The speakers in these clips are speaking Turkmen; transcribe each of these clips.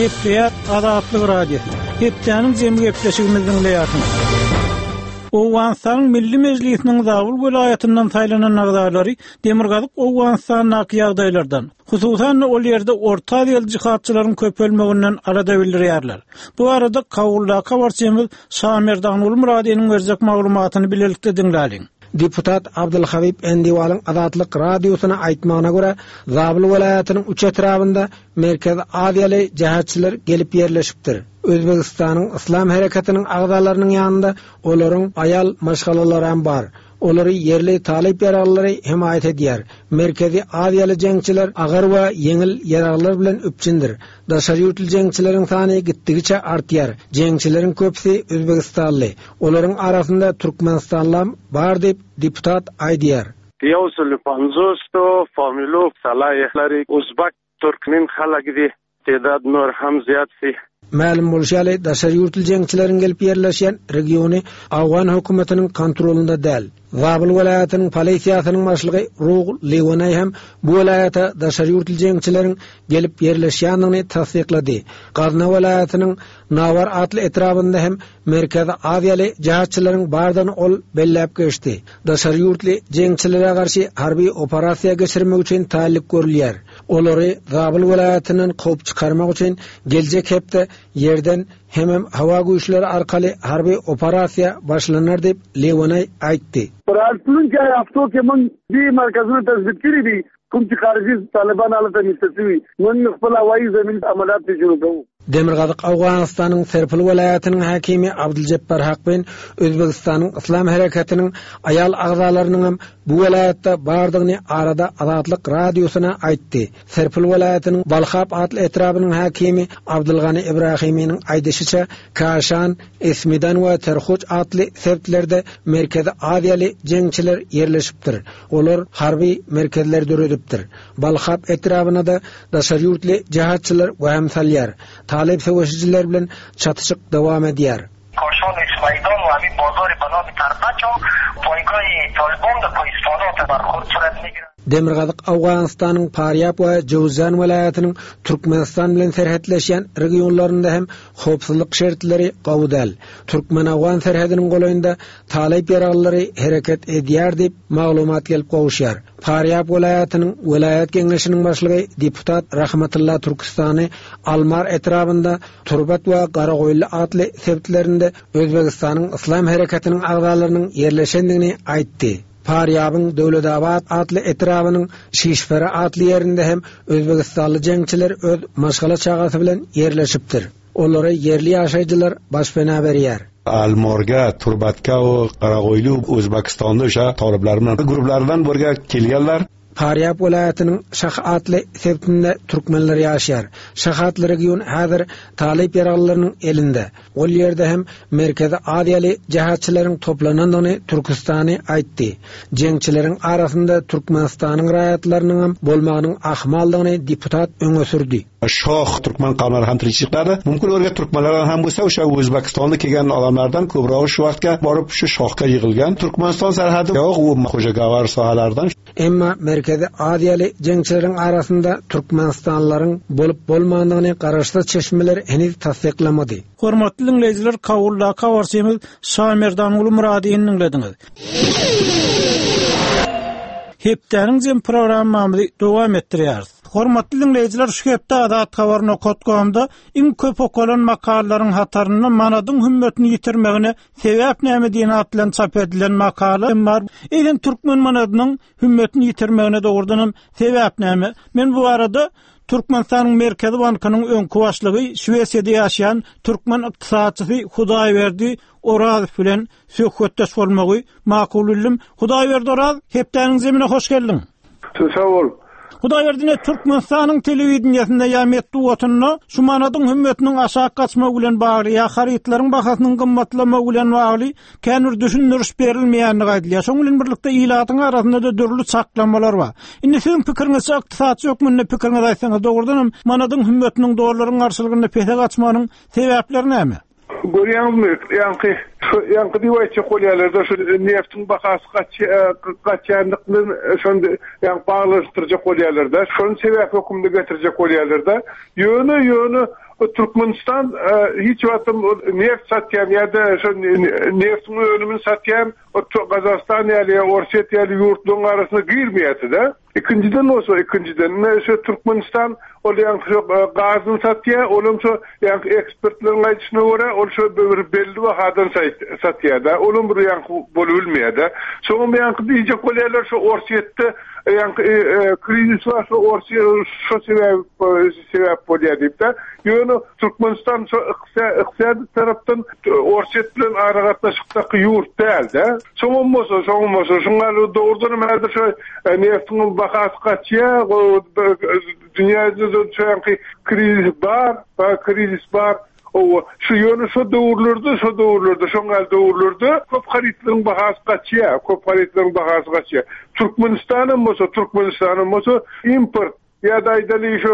Gepleýär Azatlyk Radiosy. Hepdäniň jemi gepleşigimizi diňleýärsiňiz. Owganystanyň Milli Mejlisiniň Zabul welaýatyndan saýlanan agzalary Demirgazyk Owganystandaky ýagdaýlardan, hususan-da ol ýerde Orta Aziýaly jihadçylaryň köpelmeginden alada bildirýärler. Bu barada Kabuldaky habarçymyz Şamerdanguly Myradynyň berjek maglumatyny bilelikde diňläliň. Deputat Abdylhabyp Endiwalyň Azatlyk Radiosyna aýtmagyna görä, Zabul welaýatynyň üç etrabynda Merkezi Aziýaly jähetçiler gelip ýerleşipdir. Özbegistanyň Yslam hereketiniň agzalarynyň ýanynda olaryň aýal maşgalalaram bar. Olary ýerli talyp ýaraglylary hemaýat edýär. Merkezi Aziýaly jeňçiler agyr we ýeňil ýaraglar bilen üpjündir. Daşary ýurtly jeňçileriň sany gitdigiçe artýar. Jeňçileriň köpüsi özbegistanly. Olaryň arasynda türkmenistanlam bar diýip, deputat aýdýar. یو سل 50 فامیلو صلاح لري ازبک ترکمن خلک دي تعداد نور هم زیات سي. Mälim bolşy ýaly, daşary ýurtly jeňçileriň gelip ýerleşýän regiony owgan hökümetiniň kontrolynda däl. Zabul welaýatynyň polisiýasynyň başlygy Rug Liwenaý hem bu welaýata daşary ýurtly jeňçileriň gelip ýerleşýändigini tassyklady. Gazna welaýatynyň Nawar atly etrabynda hem Merkezi Aziýaly jehatçylaryň bardygyny ol belläp geçdi. Daşary ýurtly jeňçilere garşy harby operasiýa geçirmek üçin taýynlyk görülýär. Olary Zabul welaýatyndan kowup çykarmak üçin geljek hepde ýerden hemem howa güýçleri arkaly harby operasiýa başlanar diýip, Lewenaý aýtdy. په راتلونکي هفتو کې موږ دې مرکزونه تثبیت کړي دي کوم چې خارجي طالبان هلته نشته شوي موږ خپل هوایي زمین عملیات پرې شروع کوو. Demirgazyk Owganystanyň Serpil welaýatynyň häkimi Abdyljepbar Hakbin Özbegistanyň Yslam hereketiniň aýal agzalarynyňam bu welaýatda bardygyny arada Azatlyk Radiosyna aýtdy. Serpil welaýatynyň Balhap atly etrabynyň häkimi Abdylgany Ibrahiminiň aýdyşyça, Kaşan, Esmidan we Terhuç atly sebitlerde Merkezi Aziýaly jeňçiler ýerleşipdir. Olar harby merkezler döredipdir. Balhap etrabyna-da daşary ýurtly jihatçylar wehim salýar. Talyp söweşijiler bilen çatyşyk dowam edýär. Kaşan Esmaidan we hemî bazarê bi navê Terpeçan paygahê Taliban li Kohistanate berxwed suret nigire. Demirgazyk Owganystanyň Parýab we Jöwüzjan welaýatynyň Türkmenistan bilen serhetleşýän regionlarynda hem howpsuzlyk şertleri gowy däl. Türkmen-owgan serhediniň golaýynda talyp ýaraglylary hereket edýär diýip, maglumat gelip gowuşýar. Farýab welaýatynyň welaýat geňeşiniň başlygy deputat Rahmatylla Türküstany Almar etrabynda Turbat we Garagoýunly atly sebitlerinde Özbegistanyň Yslam hereketiniň agzalarynyň ýerleşendigini aýtdy. Farýabyň Döwletabat atly etrabynyň Şişpera atly ýerinde hem özbegistanly jeňçiler öz maşgala-çagasy bilen ýerleşipdir. Olara ýerli ýaşaýjylar başpena berýär. Almorga, Turbatka we Garagoýly Özbekistanda o'sha toliblar bilan guruhlardan birga kelganlar. Farýab welaýatynyň Şah atly sebitinde türkmenler ýaşaýar. Şah atly region häzir talyp ýaraglylarynyň elinde. Ol ýerde hem Merkezi Aziýaly jehatçylaryň toplanandygyny Türküstany aýtdy. Jeňçileriň arasynda Türkmenistanyň raýatlarynyňam bolmagynyň ahmaldygyny deputat öňe sürdi. Şoh türkmen kavmlari ham tirikchiliklarda mumkin o'rga turkmanlardan ham bo'lsa o'sha O'zbekistonda kelgan odamlardan ko'prog'i shu vaqtga borib shu shohga yig'ilgan. Turkmaniston sarhadi yo'q u Xo'jagavar sohalaridan. Emma Merkezi Aziýaly jeňçileriň arasynda türkmenistanlylaryň bolup-bolmandygyny garaşsyz çeşmeler heniz tassyklamady. Hormatly diňleýjiler Kabuldaky habarçymyz Şamerdanguly Myradyny diňlediňiz. Hepdäniň jem programmamyzy dowam etdirýäris. Hormatly diňleýjiler şu hepde Azat Habar nokat komda iň köp okalan makalalaryň hatarynda manadyň hümmetini ýitirmegine sebäp näme diýen at bilen çap edilen makala hem bar. Eýsem türkmen manadynyň hümmetini ýitirmegine dogrudan hem sebäp näme? Men bu barada Türkmenistanyň Merkezi bankynyň öňki başlygy, Şwesiýada ýaşaýan türkmen ykdysatçysy Hudaýberdi Orazow bilen söhbetdeş bolmagy makul bildim. Hudaýberdi Oraz, hepdäniň zemine hoş geldiň. Sag bol. Hudaýberdi ine Türkmenistanyň telewideniýesinde ýa metbugatynda şu manadyň hümmetiniň aşak gaçmagy bilen bagly ýa harytlaryň bahasynyň gymmatlamagy bilen bagly kän bir düşündiriş berilmeýändigi aýdylýar. Şonuň bilen birlikde ilatyň arasynda-da dürli çaklamalar bar. Indi siziň pikiriňizçe ykdysatçy hökmünde pikiriňizi aýtsaňyz dogrudan hem manadyň hümmetiniň dollaryň garşylygynda pese gaçmagynyň sebäpleri näme? Görýäňizmi, ýaňky. Şu ýaňky diýip aýtjak bolýarlar-da, şu neftiň bahasy gaçýanlyk bilen şony ýaňky baglanyşdyrjak bolýarlar-da. Şony sebäp hökmünde getirjek bolýarlar-da. Ýöne, ýöne Türkmenistan hiç wagtam neft satýan ýa-da şo neftiň önümini satýan Gazagystan ýaly ýa Orsýet ýaly ýurtlaryň arasyna girmeýärdi-de. Ikinjiden bolsa, ikinjiden, ine şu Türkmenistan ol ýaňky şo gazyny satýar, olam şo ýaňky ekspertleriň aýdyşyna görä, ol şo bir belli bahadan satýar-da, olam bir ýaňky bolubilmeýär-de. Soňam ýaňky diýjek bolýarlar, şo Orsýetde ýaňky krizis bar, şo Orsýet şo sebäp sebäp bolýar diýip-de. Ýöne Türkmenistan şo ykdysady tarapdan Orsýet bilen aragatnaşykdaky ýurt däl-de. Soňam bolsa, soňam bolsa, şuň ýaly dogrudan hem häzir şo neftiň bahasy gaçýar, dünýä ýüzünde şoňky krizis bar, krizis bar. Hawa, şu ýöne şo döwürlerde, şo döwürlerde, şoň ýaly döwürlerde köp harytlaryň bahasy gaçýar, köp harytlaryň bahasy gaçýar. Türkmenistanam bolsa, Türkmenistanam bolsa import Ýa-da aýdaly şu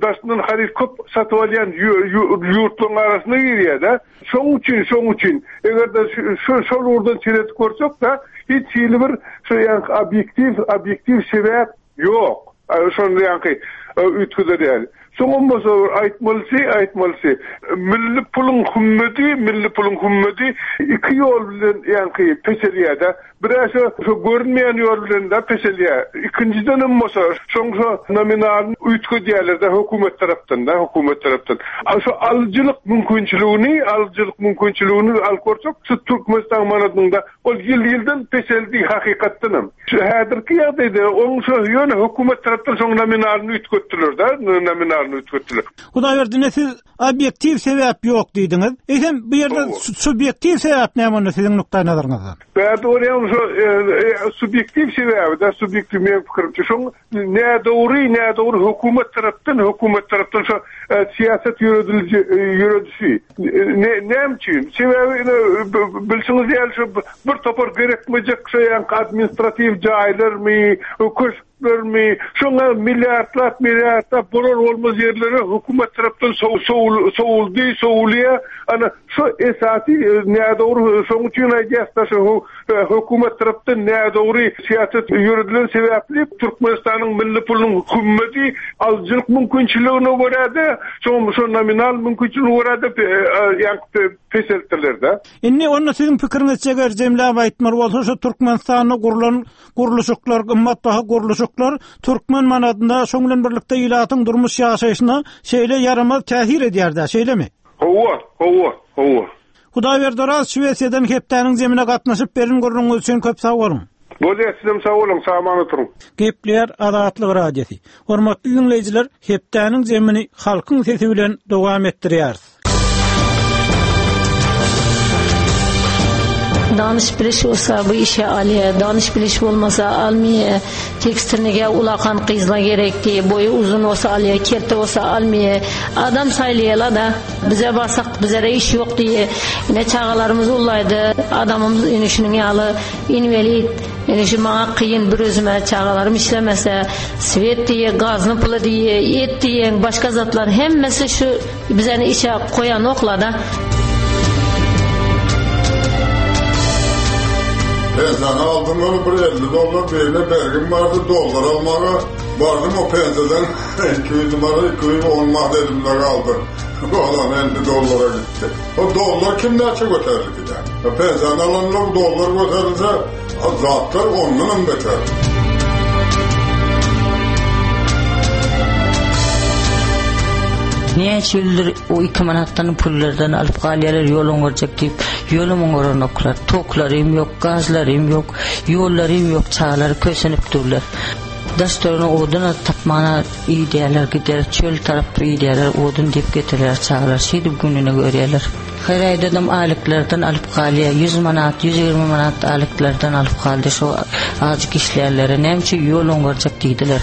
daşyndan haryt köp satyp alýan ýurtlaryň arasyna girýär-de. Şoň üçin, şoň üçin eger-de şu şol ugurdan seredip görsek-de, hiç hili bir şu ýaňky obýektiw, obýektiw sebäp ýok. Şony ýaňky üýtgeder ýaly. Soňam bolsa bir aýtmalysy, aýtmalysy, milli puluň hümmedi, milli puluň hümmedi iki ýol bilen ýaňky peselýär-de. Bir-ä şo, şo görünmeýän ýol bilen-de peselýär. Ikinjidenem bolsa, şoň şo nominalyny üýtgedýärler-de hökümet tarapdan-da, hökümet tarapdan. A şo alyjylyk mümkinçiligini, alyjylyk mümkinçiligini alyp görsek, şu Türkmenistan manadynyň-da ol ýyl-ýyldan peseldi hakykatdanam. Şu häzirki ýagdaýda oň şo ýöne hökümet tarapdan şoň nominalyny üýtgetdiler-de, nominalyny üýtgetdiler. Hudaýberdi ine siz obýektiw sebäp ýok diýdiňiz. Eýsem bu ýerde subýektiw sebäp näme onda siziň nukdaýnazaryňyzdan? Bärde bolýan şo subýektiw sebäbi-de, subýektiw meň pikirimçe şoň nädogry, nädogry hökümet tarapdan, hökümet tarapdan şo syýasat ýörediliji ýöredişi. Näme üçin? Sebäbi ine bilşiňiz ýaly şo bir topar gerekmejek şo ýaňky administratiw jaýlarmy, köşk Görmi, şoňa milliardlap, milliardlap bolar-bolmaz ýerlere hökümet tarapdan sowuldy, sowulýar. Ana, şu esasy nädogry, şoň üçin aýdýas-da, şu hökümet tarapdan nädogry syýasat ýöredilen sebäpli Türkmenistanyň milli pulunyň hümmeti alyjylyk mümkinçiligine görä-de, şoň şo nominal mümkinçiligine görä-de ýaňky peseltdiler-de. Indi onda siziň pikiriňizçe eger jemläp aýtmaly bolsa, şu Türkmenistanda gurlan Gurluşyklar, gymmatbaha gurluşyklar türkmen manadyna, şoň bilen birlikde ilatyň durmuş ýaşaýşyna şeýle ýaramaz täsir edýär-dä, şeýlemi? Hawa, hawa, hawa. Hudaýberdi Oraz Şwesiýadan hepdäniň zemine gatnaşyp beren gürrüňiňiz üçin köp sag boluň. Bolýar, sizem sag boluň, sag-aman oturyň. Gepleýär Azatlyk Radiosy. Hormatly diňleýjiler, hepdäniň zemini halkyň sesi bilen dowam etdirýäris. Danyş biliş bolsa bu işe alýa, danyş biliş bolmasa almaýa. Tekstilnige ulakan gyzla gerekdi, boýy uzun bolsa alýa, kelte bolsa almaýa. Adam saýlaýala-da, bize barsak bizede iş ýok diýýä. Ine çagalarymyz ullaýdy, adamymyz ine şunuň ýaly inwelid. Ine şu maňa kyn bir özüme çagalarym işlemese, swet diýýä, gazny puly diýýä, et diýýäň, başga zatlar hemmesi şu Bizeni işe goýanoklar-da. Pensiýany aldym ol bir 50 dollar birine bergim bardy dollar almaga bardym o pensiýadan 200 manat 210 manat elimde galdy. Galan 50 dollara gitdi. O dollar kim näçe göterildi giden? Pensiýany alanlar dollar göterilse zatlar ondan hem beter. Näçe ýyldyr o 2 manatdan pullardan alyp galýarlar ýol oňarjak diýip, ýolum oňaranoklar. Toklarym ýok, gazlarym ýok, ýollarym ýok, çagalar kösenip durlar. Daş törüne odun tapmana idýärler, gider çöl tarap idýärler, odun diýip getirýär çagalar, şeýdip gününi görýärler. Her aýdadam aýlyklardan alyp galýar, ýüz manat, 120 manat aýlyklardan alyp galdy şo azajyk işleýänlere. Näme üçin ýol oňarjak diýdiler.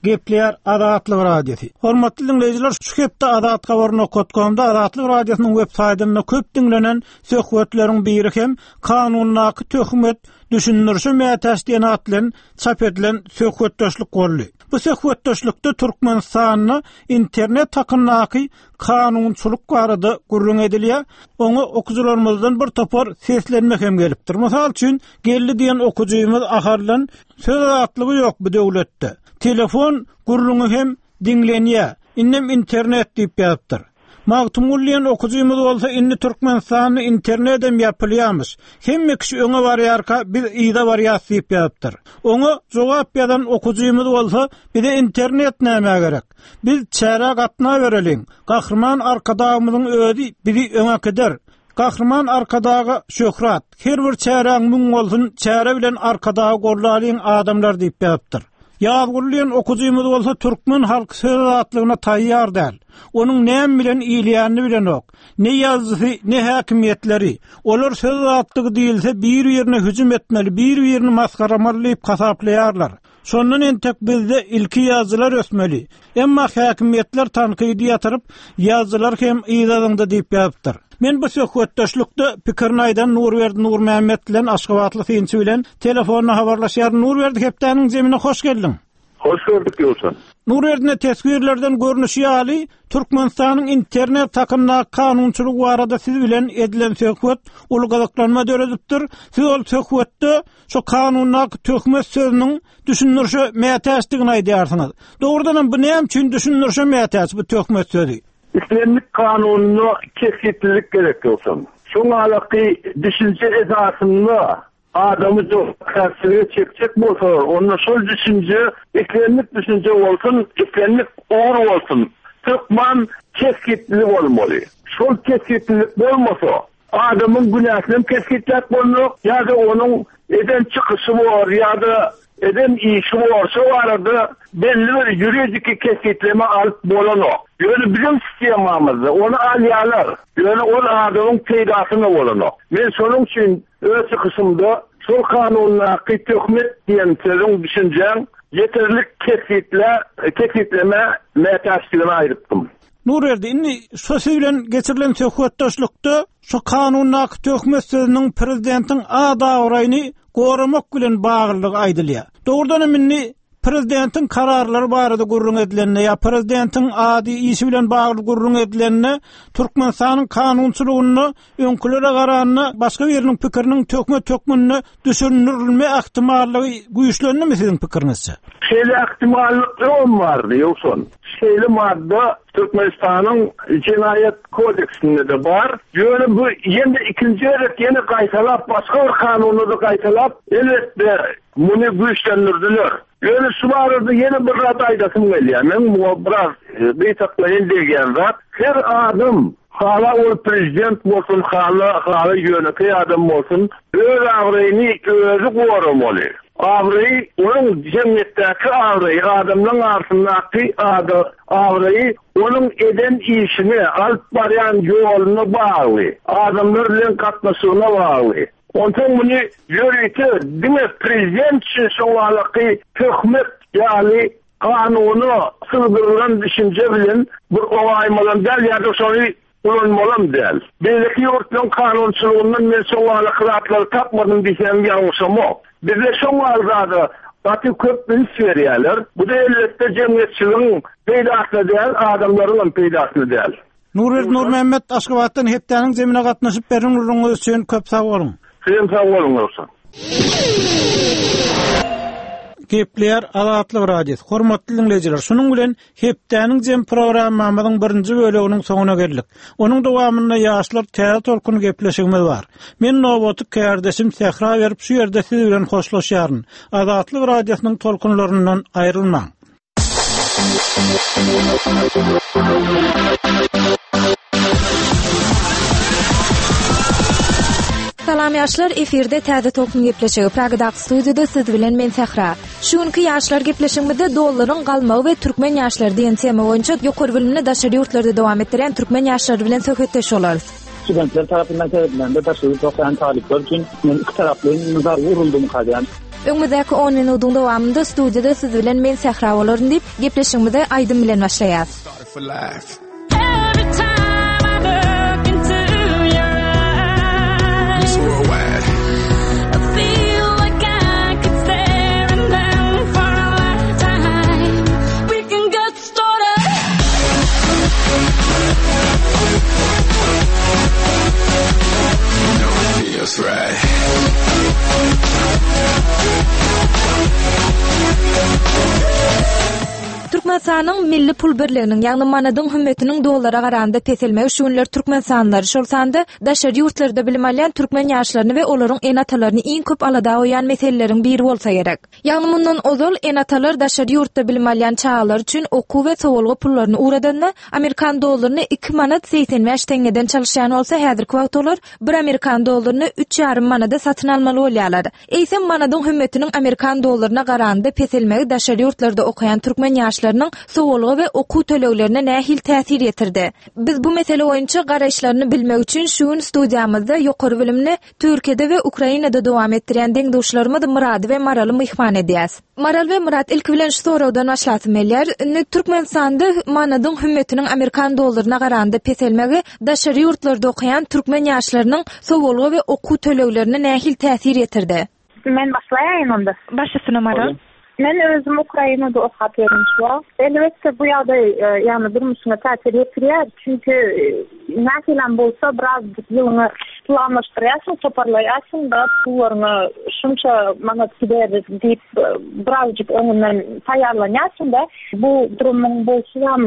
Gepleýär Azatlyk Radiosy. Hormatly diňleýjiler, şu hepde Azathabar nokat komda Azatlyk Radiosynyň web saýtynda köp diňlenen söhbetleriň biri hem kanundaky töhmet. düşündirişe mätäç diýen at bilen çap edilen söhbetdeşlik boldy. Bu söhbetdeşlikde Türkmenistanda internet hakyndaky kanunçylyk barada gürrüň edilýär. Oňa okyjylarymyzdan bir topar seslenme hem gelipdir. Mysal üçin, Geldi diýen okyjymyz Ahaldan, Söz azatlygy ýok bu döwletde. Telefon gürrüňi hem diňlenýär. Indem internet diýip ýazypdyr. Magtymguly diýen okyjymyz bolsa indi Türkmenistanda internedem ýapylýamyş. Hemme kişi öňe barýarka biz yza barýas diýip ýazypdyr. Oňa jogap ýazan okyjymyz bolsa bize internet nämä gerek? Biz çärä gatnabereliň. Gahryman Arkadagymyzyň özi bizi öňe äkider. Gahryman Arkadaga şöhrat! Her bir çäräň müň bolsun, çäre bilen Arkadagy gollalyň adamlar diýip ýazypdyr. Ýazguly diýen okyjymyz bolsa türkmen halky söz azatlygyna taýýar däl. Onuň näme bilen iýilýänini bilenok. Ne ýazyjysy, ne häkimiýetleri. Olar söz azatlygy diýilse bir-birine hüjüm etmeli, bir-birini masgaramaly diýip hasaplaýarlar. Şondan entek bizde ilki ýazyjylar ösmeli. Emma häkimiýetler tankydy ýatyryp, ýazyjylar hem yza zyňdy diýip ýazypdyr. Men bu söhbetdeşlikde pikirini aýdan Nurberdi Nurmämmet bilen aşgabatly synçy bilen telefonda habarlaşýaryn. Nurberdi hepdäniň zemine hoş geldiň. Hoş gördük Ýowşan. Nurberdi teswirlerden görnüşi ýaly, Türkmenistanyň internet hakyndaky kanunçylygy barada siz bilen edilen söhbet uly gyzyklanma döredipdir. Siz ol söhbetde Şu kanundaky töhmet sözüniň düşündirişe mätäçdigini aýdýarsyňyz. Dogrudanam bu näme üçin düşündirişe mätäç bu töhmet sözi? Islendik kanunda kesgitlilik gerek ýogsam. Şoň alaky düşünje esasynda adamy jogapkärçilige çekjek bolsalar, onda şol düşünje islendik düşünje bolsun, islendik ugur bolsun, hökman kesgitli bolmaly. Şol kesgitlilik bolmasa, Adamyň günäsinem kesgitläp bolnok, ýa-da onuň eden çykyşy bor, ýa-da eden işi bor, şo barada belli bir ýuridiki kesgitleme alyp bolanok. Ýöne biziň sistemamyzda ony alýarlar, ýöne ol adamyň peýdasyna bolanok. Men şonuň üçin öz çykyşymda şol kanundaky töhmet diýen sözüň, düşünjäň ýeterlik kesgitlä, kesgitlemä mätäçdigini aýdypdym. Nurberdi, indi şu siz bilen geçirilen söhbetdeşlikde şu kanundaky töhmet sözüniň prezidentiň at-abraýyny goramak bilen baglydygy aýdylýar. Dogrudan hem indi prezidentiň kararlary barada gürrüň edilende ýa prezidentiň ady, işi bilen bagly gürrüň edilende Türkmenistanyň kanunçylygynda öňkülere garanda başga biriniň pikiriniň töhmet hökmünde düşündirilme ähtimallygy güýçlendimi siziň pikiriňizçe? Şeýle ähtimallyk öňem bardy, Ýowşan. Şeýle madda Türkmenistanyň Jenaýat kodeksinde-de bar. Ýöne bu ýene ikinji gezek ýene gaýtalap, başga bir kanunda-da gaýtalap, elbetde, muny güýçlendirdiler. Ýöne şu barada ýene bir zat aýdasym gelýär. Meň muňa biraz gytaklaýyn degýän zat, her adam, hala ol prezident bolsun, hala hala ýönekeý adam bolsun, öz abraýyny özi goramaly. Abraýy, onuň jemgyýetdäki abraýy, adamlaryň arasyndaky ady, abraýy onuň eden işine, alyp barýan ýoluna bagly, adamlar bilen gatnaşygyna bagly. Onsoň muny ýörite diňe prezident üçin şoňalaky töhmet ýaly kanuna sygdyrylan düşünje bilen bir oňaýmalam däl ýa-da şony ulanmalam däl. Beýleki ýurtlaryň kanunçylygyndan men şoňalaky zatlary tapmadym diýsem ýalňyşamok. Bizde şoňaly zada gaty köp üns berýärler. Bu-da elbetde jemgyýetçiligiň peýdasyna däl, adamlaryňam peýdasyna däl. Nurberdi Nurmämmet Aşgabatdan hepdäniň zemine gatnaşyp beren gürrüňiňiz üçin köp sag boluň. Sizem sag boluň Röwşen. Gepleýär Azatlyk Radiosy. Hormatly diňleýjiler, şunuň bilen hepdäniň jem programmamyzyň birinji böleginiň soňuna geldik. Onuň dowamynda Ýaşlar täze tolkun gepleşigimiz bar. Men nobaty kärdeşim Sähra berip şu ýerde siz bilen hoşlaşýaryn. Azatlyk Radiosynyň tolkunlaryndan aýrylmaň. Salam ýaşlar, efirde Täze Tolkun gepleşigi. Pragadaky studiýada siz bilen men Sähra. Şu günki ýaşlar gepleşigimizde dollaryň galmagy we türkmen ýaşlary diýen tema boýunça ýokary bilimini daşary ýurtlarda dowam etdirýän türkmen ýaşlary bilen söhbetdeş bolarys. Studentler tarapyndan seredilende daşary ýurt okaýan talyplar üçin men ikitaraplaýyn zarba uruldymyka diýýän. Öňümizdäki on minudyň dowamynda studiýada siz bilen men Sähra bolaryn diýip, gepleşigimize aýdym bilen başlaýas. Owganystanyň milli pul birliginiň, ýagny manadyň hümmetiniň dollara garanda peselmegi şu günler türkmenistanlylary, şol sanda daşary ýurtlarda bilim alýan türkmen ýaşlaryny we olaryň ene-atalaryny iň köp alada goýýan meseleleriň biri bolsa gerek. Ýagny mundan ozal ene-atalar daşary ýurtda bilim alýan çagalary üçin okuw we sowalga pullaryny ugradanda, amerikan dollaryny iki manat 85 teňňeden çalyşýan bolsa, häzirki wagt olar bir amerikan dollaryny üç ýarym manada satyn almaly bolýarlar. Eýsem, manadyň hümmetiniň amerikan dollaryna garanda peselmegi daşary ýurtlarda okaýan türkmen ýaşlarynyň sowalga we okuw töleglerine nähili täsir ýetirdi? Biz bu mesele boýunça garaýyşlaryny bilmek üçin şu gün studiýamyzda ýokary bilimini Türkiýede we Ukrainada dowam etdirýän deň-duşlarymyz Myrady we Maraly myhman edýäs. Maral we Myrat ilki bilen şu soragdan başlasym gelýär. Indi Türkmenistanda manadyň hümmetiniň amerikan dollaryna garanda peselmegi daşary ýurtlarda okaýan türkmen ýaşlarynyň sowalga we okuw töleglerine nähili täsir ýetirdi? Men başlaýaýyn onda. Baş üstüne Maral. Men özüm Ukrainada okap ýörün şu wagt. Elbetde bu ýagdaý ýagny durmuşyňa täsir ýetirýär. Çünki nähilem bolsa birazjyk ýylyňy planlaşdyrýarsyň, toparlaýarsyň-da, pullaryňa şunça manat gider diýip birazjyk öňünden taýýarlanýarsyň-da. Bu durumyň bolşy hem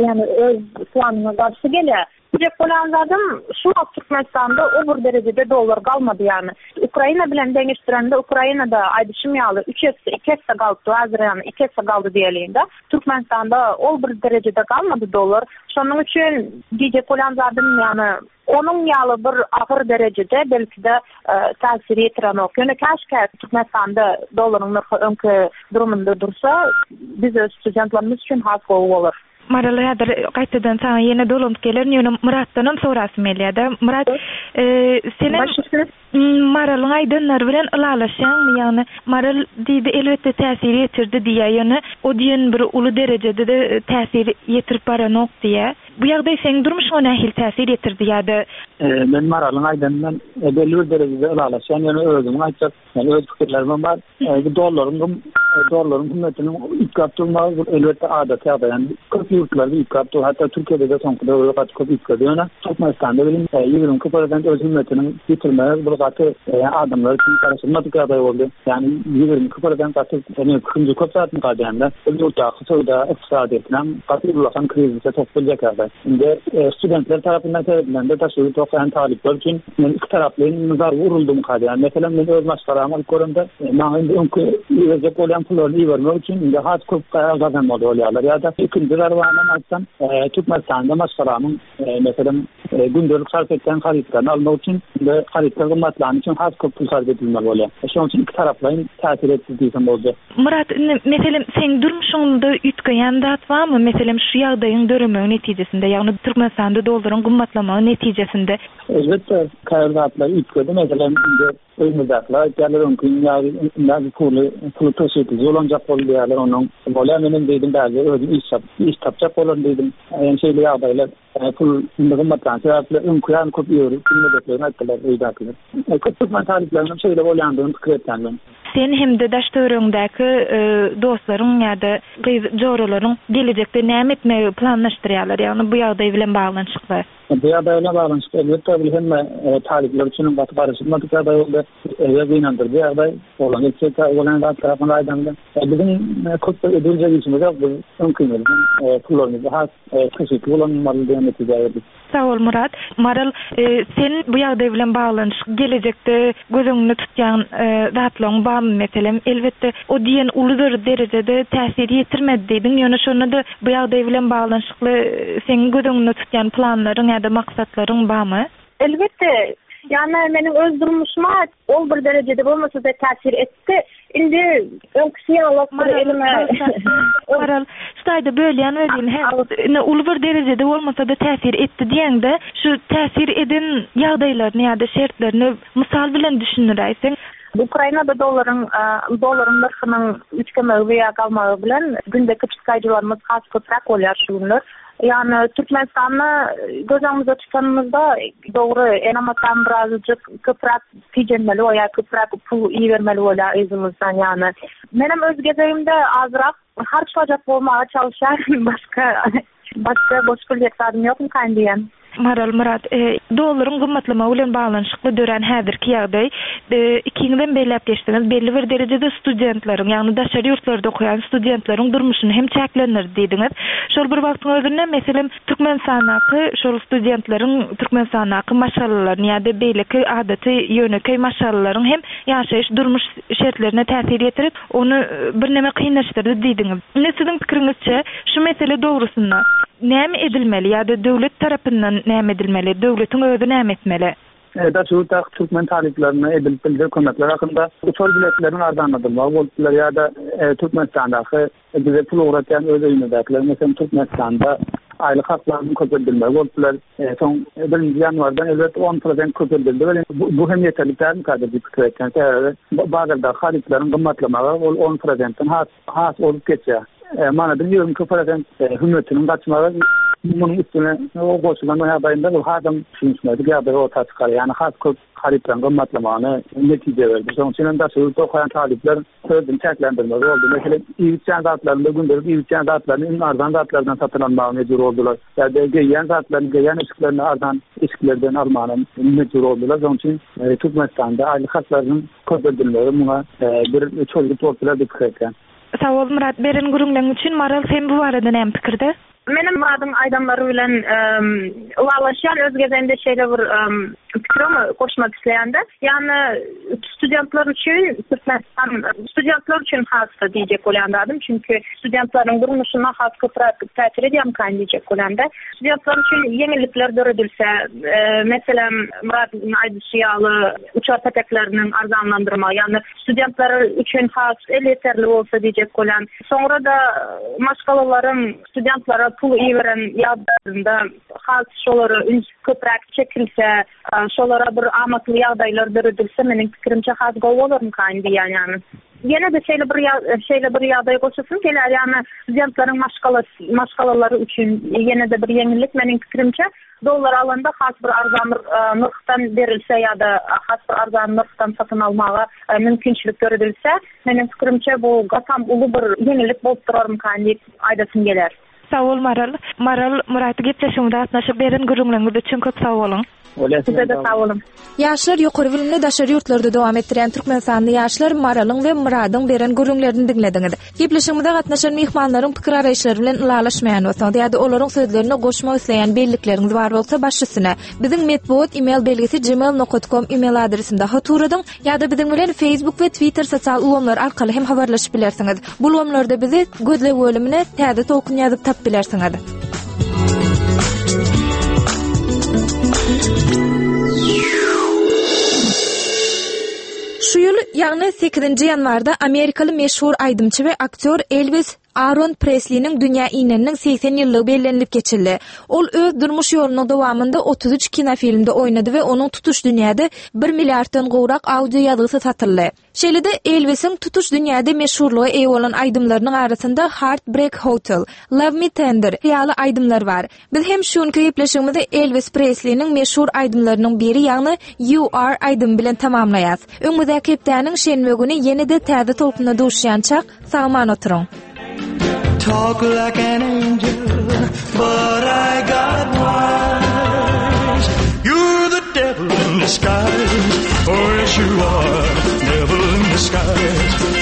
ýagny öz planyňa garşy gelýär. Diýjek bolýan zadym, şu wagt Türkmenistanda o bir derejede dollar galmady ýagny. Ukraina bilen deňeşdirende Ukrainada aýdyşym ýaly üç esse, iki esse galypdy, häzir ýagny iki esse galdy diýeliň-de. Türkmenistanda ol bir derejede galmady dollar. Şonuň üçin diýjek bolýan zadym ýagny onuň ýaly bir agyr derejede belki-de täsir ýetirenok. Ýöne käşgä Türkmenistanda dollaryň nyrhy öňki durumynda dursa, biz öz studentlerimiz üçin has gowy bolar. Maral häzir gaýtadan saňa ýene dolanyp gelerin, ýöne Myratdanam sorasym gelýär-de. Myrat, senem Maralyň aýdanlary bilen ylalaşýaňmy? Ýagny Maral diýdi, elbetde täsir ýetirdi diýýär, ýöne o diýen bir uly derejede-de täsir ýetirip baranok diýýär. Bu ýagdaý seň durmuşyňa nähili täsir ýetirdi ýa-da? Men Maralyň aýdany bilen belli bir derejede ylalaşýan, ýöne özümiň aýtjak Ýani öz pikirlerimem bar. Bu dollaryň gym dollaryň hümmetiniň üýtgäp durmagy bu elbetde adaty ýagdaý. Ýani köp ýurtlarda üýtgäp dur. Hatda Türkiýede-de soňky döwürde gaty köp üýtgedi. Ýöne Türkmenistanda welin 22 prosent öz hümmetiniň ýitirmegi bu gaty adamlar üçin garaşylmadyk ýagdaý boldy. Ýani 22 prosent gaty ýani ikinji köp zatmy galýanda bu ýurtdaky söwda ykdysadyýetinem gaty ullakan krizise sokup biljek ýagdaý. Indi studentler tarapyndan seredilende daşary ýurt okaýan talyplar üçin Men ikitaraplaýyn zarba uruldymka diýýän. Meselem, men öz maşgalamy alyp göremde, maňa indi öňki iberjek bolýan pullaryny ibermek üçin indi has köp gazanmaly bolýarlar. Ýa-da ikinji zarbanam aýtsam, Türkmenistanda maşgalamyň, meselem, gündelik sarp etýän harytlaryny almak üçin indi harytlar gymmatlany üçin has köp pul sarp edilmeli bolýar. Şonuň üçin ikitaraplaýyn täsir etdi diýsem boljak. Myrat, indi, meselem, seň durmuşyňda üýtgeýän zat barmy? Meselem, şu ýagdaýyň döremegi netijesinde, ýagny Türkmenistanda dollaryň gymmatlamagy netijesinde. Elbetde, käbir zatlar üýtgedi. Meselem, indi öýümizdäkiler aýtýarlar, öňki ýaly indi puly, puly tygşytlyja ulanjak bol diýýärler. Onnoň bolýar, menem diýdim, bärde özüm iş tap, iş tapjak bolaryn diýdim. Ýöne şeýle ýagdaýlar, pul indi gymmatlany sebäpli öňki ýaly köp iberip bilmejeklerini aýtdylar öýdäkiler. Köp türkmen talyplarynyň şeýle bolýandygyny pikir etýän men. Sen hem-de daş-töweregiňdäki dostlaryň ýa-da gyz joralaryň gelejekde näme etmegi planlaşdyrýarlar, ýagny bu ýagdaý bilen baglanyşykly? Bu ýagdaý bilen baglanyşykly elbetde bu hemme talyplar üçin hem gaty garaşylmadyk ýagdaý boldy. Eger gynandyryjy ýagdaý bolan etjek bolan zatlar hakynda aýdanda, biziň köp bir ediljek işimiz ýok. Biz öňkimizden pullarymyzy has tygşytly ulanmaly diýen netijä geldik. Sag bol Myrat. Maral, sen bu ýagdaý bilen baglanyşyk gelejekde göz öňünde tutýan zatlaryň barmy meselem? Elbetde o diýen uly bir derejede täsir ýetirmedi diýdiň, ýöne şonda-da bu ýagdaý bilen baglanyşykly seň göz öňünde tutýan planlaryň ýa-da maksatlaryň barmy? Elbetde, ýagny meniň öz durmuşyma ol bir derejede bolmasa-da täsir etdi. Indi öňküsi ýaly bir elime Maral, şu taýda bölýän welin, hä, indi uly bir derejede bolmasa-da täsir etdi diýeňde, şu täsir eden ýagdaýlaryny ýa-da şertlerini mysal bilen düşündiräýseň. Ukrainada dollaryň dollaryň nyrhynyň üýtgemegi we ýa galmagy bilen gündeki çykdaýjylarymyz has köpräk bolýar şu günler. Ýagny Türkmenistanda göz öňümizde tutanymyzda dogry enem-atam birazajyk köpräk tijenmeli bolýar, köpräk pul ibermeli bolýar yzymyzdan ýagny. Menem öz gezegimde azrak harçlajak bolmaga çalyşýaryn başga başga goşup biljek zadym ýokmykaýyn diýýän. Maral Myrat, dollaryň gymmatlamagy bilen baglanyşykly dörän häzirki ýagdaý, ikiňizem belläp geçdiňiz, belli bir derejede studentleriň, ýagny daşary ýurtlarda okaýan studentleriň durmuşyny hem çäklendirdi diýdiňiz. Şol bir wagtyň özünde, meselem, Türkmenistandaky şol studentleriň Türkmenistandaky maşgalalaryny ýa-da beýleki adaty ýönekeý maşgalalaryň hem ýaşaýyş durmuş şertlerine täsir ýetirip, ony birneme kynlaşdyrdy diýdiňiz. Indi siziň pikiriňizçe, şu mesele dogrusynda näme edilmeli ýa-da döwlet tarapyndan näme edilmeli, döwletiň özi näme etmeli? Daşary ýurtdaky türkmen talyplaryna edilip biljek kömekler hakynda uçar biletleriniň arzanladylmagy bolup biler ýa-da Türkmenistandaky bize pul ugratýan öz öýümizdäkiler, meselem, Türkmenistanda aýlyk haklarynyň köpeldilmegi bolup biler. Soň birinji ýanwardan elbetde on prosent köpeldildi welin, bu hem ýeterlik dälmikädir diýip pikir etýän. Sebäbi bazardaky harytlaryň gymmatlamagy ol on prosentden has has ozup geçýär. Manadyň 22 prosent hümmetiniň gaçmagy munuň üstüne goşulan ýagdaýynda ol hasam düşünişmezlik ýagdaýy orta çykar. Ýagny has köp harytlaryň gymmatlamagyna netije berdi. Şonuň üçin hem daşary ýurtda okaýan talyplar özüni çäklendirmeli boldy. Meselem, iýip-içýän zatlarynda gündelik iýip-içýän zatlaryny iň arzan zatlardan satyn almaga mejbur boldular. Ýa-da geýýän zatlaryny, geýýän eşiklerini arzan eşiklerden almaga mejbur boldular. Şonuň üçin Türkmenistanda aýlyk haklarynyň köpeldilmegi muňa bir çözgüt bolup biler diýip pikir etýän. Sag bol Myrat beren gürrüňleň üçin Maral sen bu barada näme pikirde? Menem Myradyň aýdanlary bilen ylalaşýan öz gezegimde şeýle bir pikirimi goşmak isleýände ýagny studentler üçin Türkmenistan studentler üçin has-da diýjek bolýan zadym çünki studentleriň durmuşyna has köpräk täsir edýärmikan diýjek bolýanda studentler üçin ýeňillikler döredilse meselem Myradyň aýdyşy ýaly uçar petekleriniň arzanlandyrmagy ýagny studentler üçin has elýeterli bolsa diýjek bolýan. Soňra-da maşgalalaryň studentlere pul iberen ýagdaýlarynda has şolara üns köpräk çekilse, şolara bir amatly ýagdaýlar döredilse meniň pikirimçe has gowy bolarmykaýyn diýýän ýagny. Ýene-de şeýle bir şeýle bir ýagdaý goşasym gelýär ýagny studentleriň maşgalalary üçin ýene-de bir ýeňillik meniň pikirimçe Dollar alanda has bir arzan nyrhdan berilse ýa-da has bir arzan nyrhdan satyn almaga mümkinçilik döredilse, meniň pikirimçe bu gatam uly bir ýeňillik bolup durarmykan diýip aýdasym geler. Sag bol Maral. Maral, Myrat gepleşigimize gatnaşyp beren gürrüňleriňiz üçin köp sag boluň. Size-de sag boluň. Ýaşlar ýokary bilimini daşary ýurtlarda dowam etdirýän türkmenistanly ýaşlar Maralyň we Myradyň beren gürrüňlerini diňlediňiz. Gepleşigimize gatnaşan myhmanlaryň pikir-garaýyşlary bilen ylalaşmaýan bolsaňyz ýa-da olaryň sözlerine goşmak isleýän bellikleriňiz bar bolsa baş üstüne. Biziň metbugat email belgisi gmail nokat kom email adresinde hat ugradyň ýa-da biziň bilen Facebook we Twitter sosial ulgamlary arkaly hem habarlaşyp bilersiňiz. Bu ulgamlarda bizi gözleg bölümine Täze tolkun ýazyp tapyp bilersiňiz. Şu ýyl, ýagny sekizinji ýanwarda amerikaly meşhur aýdymçy we aktýor Elwis Aaron Presliniň dünýä ineniniň 80 ýyllygy bellenilip geçildi. Ol öz durmuş ýolunyň dowamynda 33 kinofilmde oýnady we onuň tutuş dünýäde bir milliarddan gowrak audio ýazgysy satyldy. Şeýle-de Elwisiň tutuş dünýäde meşhurlyga eýe bolan aýdymlarynyň arasynda Heartbreak Hotel, Love Me Tender ýaly aýdymlar bar. Biz hem şu günki gepleşigimizi Elwis Presliniň meşhur aýdymlarynyň biri, ýagny You Are aýdymy bilen tamamlaýas. Öňümizdäki hepdäniň şenbe güni ýene-de täze tolkunda duşýançak, sag-aman oturyň! Talk like an angel, but I got wise. You're the devil in disguise. Oh, yes, you are. Devil in disguise.